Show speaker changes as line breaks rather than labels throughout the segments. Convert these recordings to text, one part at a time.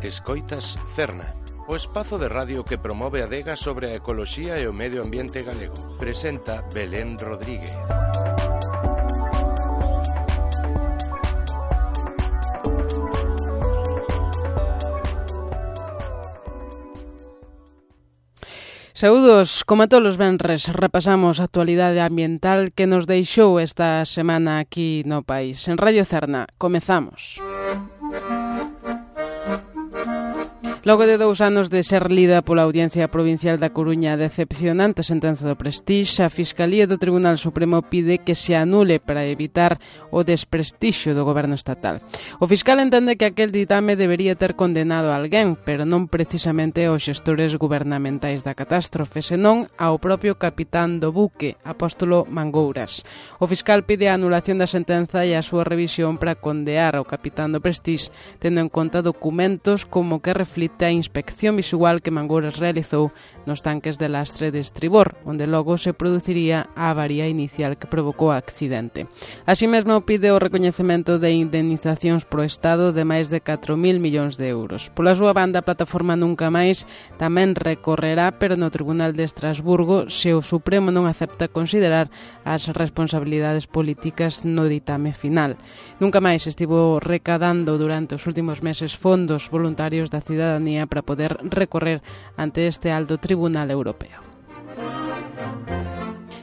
Escoitas Cerna, o espazo de radio que promove a adega sobre a ecoloxía e o medio ambiente galego. Presenta Belén Rodríguez.
Saúdos, como todos os venres, repasamos a actualidade ambiental que nos deixou esta semana aquí no país. En Radio Cerna, comezamos. Logo de 2 anos de ser lida pola Audiencia Provincial da Coruña a decepcionante sentenza do Prestixe, a Fiscalía do Tribunal Supremo pide que se anule para evitar o desprestixio do goberno estatal. O fiscal entende que aquel ditame debería ter condenado a alguén, pero non precisamente aos xestores gubernamentais da catástrofe, senón ao propio capitán do buque, Apóstolo Mangouras. O fiscal pide a anulación da sentenza e a súa revisión para condear ao capitán do Prestixe, tendo en conta documentos como que reflite a inspección visual que Mangouras realizou nos tanques de lastre de estribor, onde logo se produciría a avaría inicial que provocou o accidente. Así mesmo pide o recoñecemento de indemnizacións pro Estado de máis de 4.000 millóns de euros. Pola súa banda, a plataforma Nunca Máis tamén recorrerá, pero no Tribunal de Estrasburgo, se o Supremo non acepta considerar as responsabilidades políticas no ditame final. Nunca Máis estivo recadando durante os últimos meses fondos voluntarios da cidadanía para poder recorrer ante este alto tribunal europeo.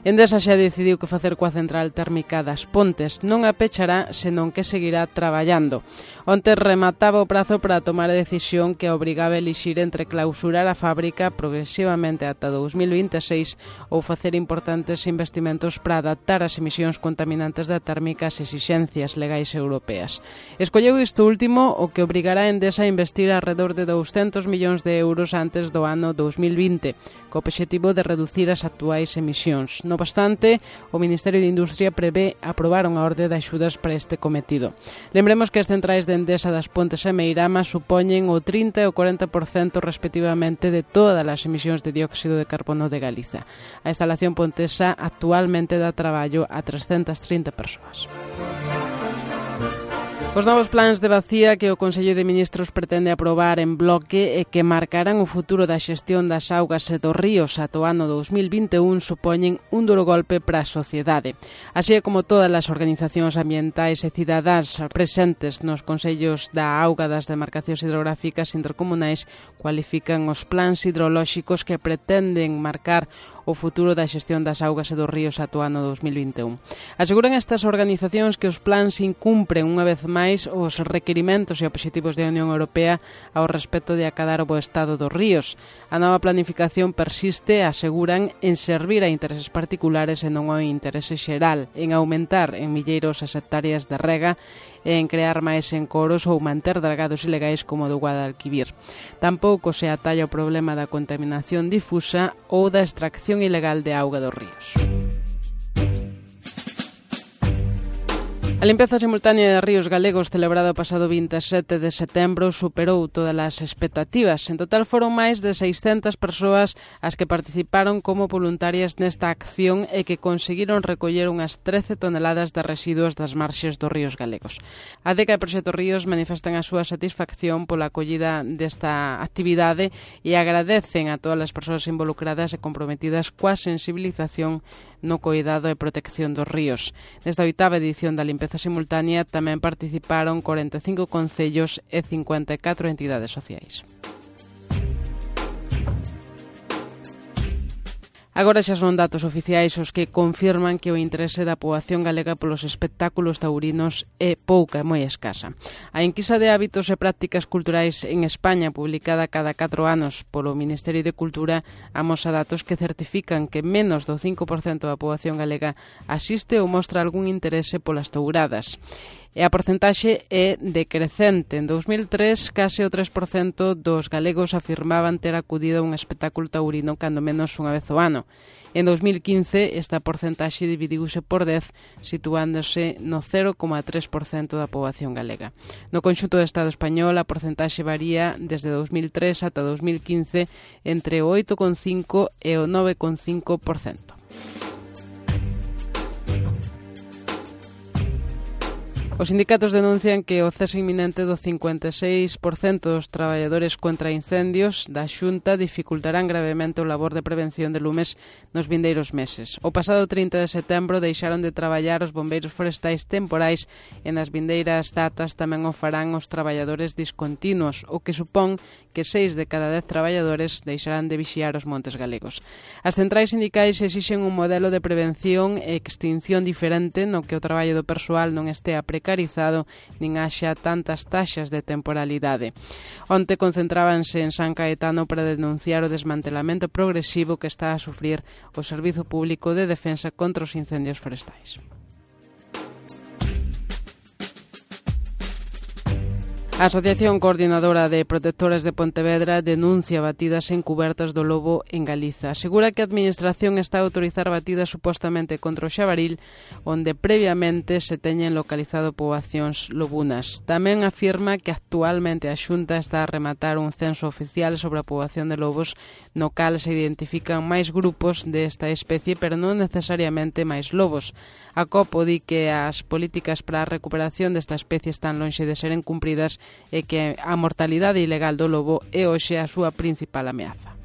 Endesa xa decidiu que facer coa central térmica das Pontes non a pechará, senón que seguirá traballando. Onte remataba o prazo para tomar a decisión que obrigaba a elixir entre clausurar a fábrica progresivamente ata 2026 ou facer importantes investimentos para adaptar as emisións contaminantes da térmica ás exixencias legais europeas. Escolleu isto último, o que obrigará a Endesa a investir alrededor de 200 millóns de euros antes do ano 2020, co obxectivo de reducir as actuais emisións. No obstante, o Ministerio de Industria prevé aprobar unha orde de axudas para este cometido. Lembremos que as centrais de Endesa das Pontes e Meirama supoñen o 30 e o 40% respectivamente de todas as emisións de dióxido de carbono de Galiza. A instalación pontesa actualmente dá traballo a 330 persoas. Os novos plans de vacía que o Consello de Ministros pretende aprobar en bloque e que marcarán o futuro da xestión das augas e dos ríos ata o ano 2021 supoñen un duro golpe para a sociedade. Así como todas as organizacións ambientais e cidadáns presentes nos consellos da auga das demarcacións hidrográficas intercomunais cualifican os plans hidrolóxicos que pretenden marcar o futuro da xestión das augas e dos ríos ata o ano 2021. Aseguran estas organizacións que os plans incumpren unha vez máis os requerimentos e obxectivos da Unión Europea ao respecto de acadar o bo estado dos ríos. A nova planificación persiste, aseguran, en servir a intereses particulares e non ao interese xeral, en aumentar en milleiros as hectáreas de rega e en crear máis encoros ou manter dragados ilegais como o do Guadalquivir. Tampouco se atalla o problema da contaminación difusa ou da extracción ilegal de auga dos ríos. A limpeza simultánea de ríos galegos celebrada o pasado 27 de setembro superou todas as expectativas. En total foron máis de 600 persoas as que participaron como voluntarias nesta acción e que conseguiron recoller unhas 13 toneladas de residuos das marxes dos ríos galegos. A DECA e Proxecto Ríos manifestan a súa satisfacción pola acollida desta actividade e agradecen a todas as persoas involucradas e comprometidas coa sensibilización no coidado e protección dos ríos. Nesta 8ª edición da limpeza simultánea tamén participaron 45 concellos e 54 entidades sociais. Agora xa son datos oficiais os que confirman que o interese da poboación galega polos espectáculos taurinos é pouca e moi escasa. A enquisa de hábitos e prácticas culturais en España, publicada cada 4 anos polo Ministerio de Cultura, amosa datos que certifican que menos do 5% da poboación galega asiste ou mostra algún interese polas touradas. E a porcentaxe é decrecente. En 2003, case o 3% dos galegos afirmaban ter acudido a un espectáculo taurino cando menos unha vez ao ano. En 2015, esta porcentaxe dividiuse por 10, situándose no 0,3% da poboación galega. No conxunto do Estado español, a porcentaxe varía desde 2003 ata 2015 entre o 8,5% e o 9,5%. Os sindicatos denuncian que o cese inminente do 56% dos traballadores contra incendios da Xunta dificultarán gravemente o labor de prevención de lumes nos vindeiros meses. O pasado 30 de setembro deixaron de traballar os bombeiros forestais temporais e nas vindeiras datas tamén o farán os traballadores discontinuos, o que supón que 6 de cada 10 traballadores deixarán de vixiar os montes galegos. As centrais sindicais exixen un modelo de prevención e extinción diferente no que o traballo do persoal non estea precarizado nin haxa tantas taxas de temporalidade. Onte concentrábanse en San Caetano para denunciar o desmantelamento progresivo que está a sufrir o Servizo Público de Defensa contra os Incendios Forestais. A Asociación Coordinadora de Protectores de Pontevedra denuncia batidas encubertas do lobo en Galiza. Asegura que a Administración está a autorizar batidas supostamente contra o xabaril, onde previamente se teñen localizado poboacións lobunas. Tamén afirma que actualmente a Xunta está a rematar un censo oficial sobre a poboación de lobos, no cal se identifican máis grupos desta especie, pero non necesariamente máis lobos. A COPO di que as políticas para a recuperación desta especie están lonxe de seren cumpridas e que a mortalidade ilegal do lobo é hoxe a súa principal ameaza.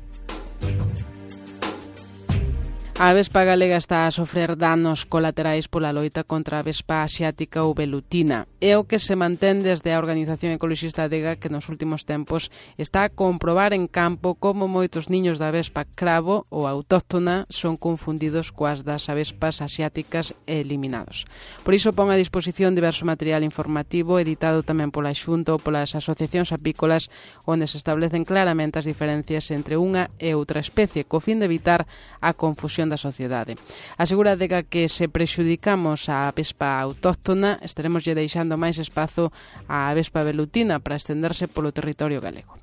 A avespa galega está a sofrer danos colaterais pola loita contra a avespa asiática ou velutina. É o que se mantén desde a Organización Ecoloxista Adega, que nos últimos tempos está a comprobar en campo como moitos niños da avespa cravo ou autóctona son confundidos coas das avespas asiáticas e eliminados. Por iso pon a disposición diverso material informativo editado tamén pola Xunta ou polas asociacións apícolas, onde se establecen claramente as diferencias entre unha e outra especie, co fin de evitar a confusión da sociedade. Asegura Adega que se prexudicamos a avespa autóctona, estaremos lle deixando máis espazo á avespa velutina para estenderse polo territorio galego.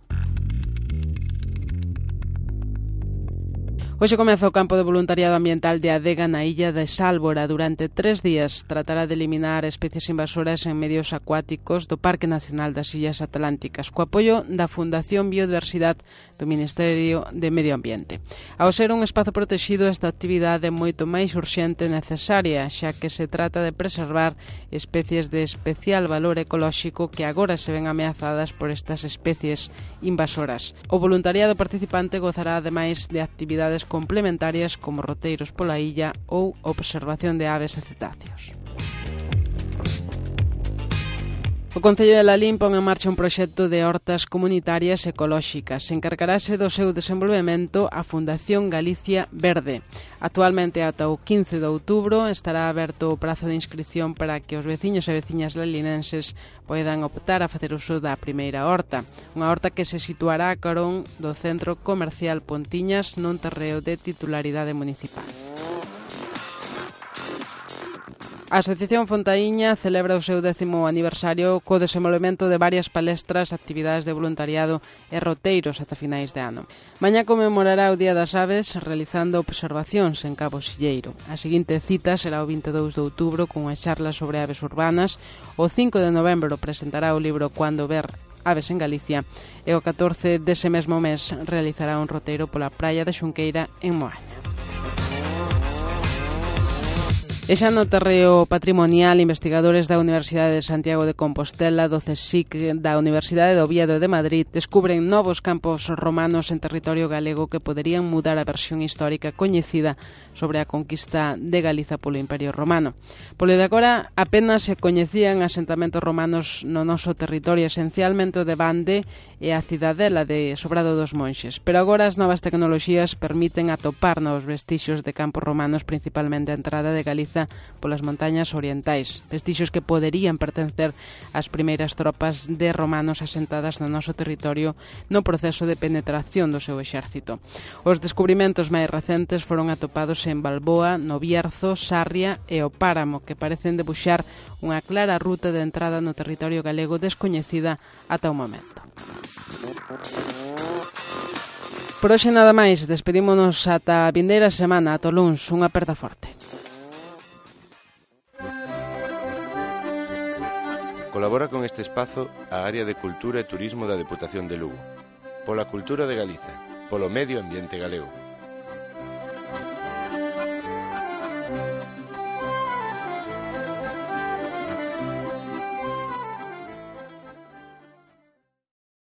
Hoxe comeza o campo de voluntariado ambiental de Adega na illa de Sálvora. Durante 3 días tratará de eliminar especies invasoras en medios acuáticos do Parque Nacional das Illas Atlánticas, co apoio da Fundación Biodiversidade do Ministerio de Medio Ambiente. Ao ser un espazo protexido, esta actividade é moito máis urxente e necesaria, xa que se trata de preservar especies de especial valor ecolóxico que agora se ven ameazadas por estas especies invasoras. O voluntariado participante gozará ademais de actividades complementarias como roteiros pola illa ou observación de aves e cetáceos. O Concello de Lalín pon en marcha un proxecto de hortas comunitarias ecolóxicas. Encargarase do seu desenvolvemento a Fundación Galicia Verde. Actualmente, ata o 15 de outubro, estará aberto o prazo de inscripción para que os veciños e veciñas lalinenses poidan optar a facer uso da primeira horta. Unha horta que se situará a carón do Centro Comercial Pontiñas nun terreo de titularidade municipal. A Asociación Fontaíña celebra o seu 10º aniversario co desenvolvemento de varias palestras, actividades de voluntariado e roteiros ata finais de ano. Mañá conmemorará o Día das Aves realizando observacións en Cabo Silleiro. A seguinte cita será o 22 de outubro con unha charla sobre aves urbanas. O 5 de novembro presentará o libro Cuando ver aves en Galicia e o 14 dese mesmo mes realizará un roteiro pola praia de Xunqueira en Moaña. E xa no terreo patrimonial, investigadores da Universidade de Santiago de Compostela, do CSIC, da Universidade de Oviedo de Madrid, descubren novos campos romanos en territorio galego que poderían mudar a versión histórica coñecida sobre a conquista de Galiza polo Imperio Romano. Polo de agora, apenas se coñecían asentamentos romanos no noso territorio, esencialmente o de Bande e a cidadela de Sobrado dos Monxes. Pero agora as novas tecnoloxías permiten atopar novos vestixios de campos romanos, principalmente a entrada de Galiza polas montañas orientais, vestixios que poderían pertencer ás primeiras tropas de romanos asentadas no noso territorio no proceso de penetración do seu exército. Os descubrimentos máis recentes foron atopados en Balboa, no Bierzo, Sarria e o Páramo, que parecen debuxar unha clara ruta de entrada no territorio galego descoñecida ata o momento. Por hoxe nada máis, despedímonos ata a vindeira semana, ata o luns, unha aperta forte.
Colabora con este espazo a Área de Cultura e Turismo da Deputación de Lugo. Pola cultura de Galiza, polo medio ambiente galego.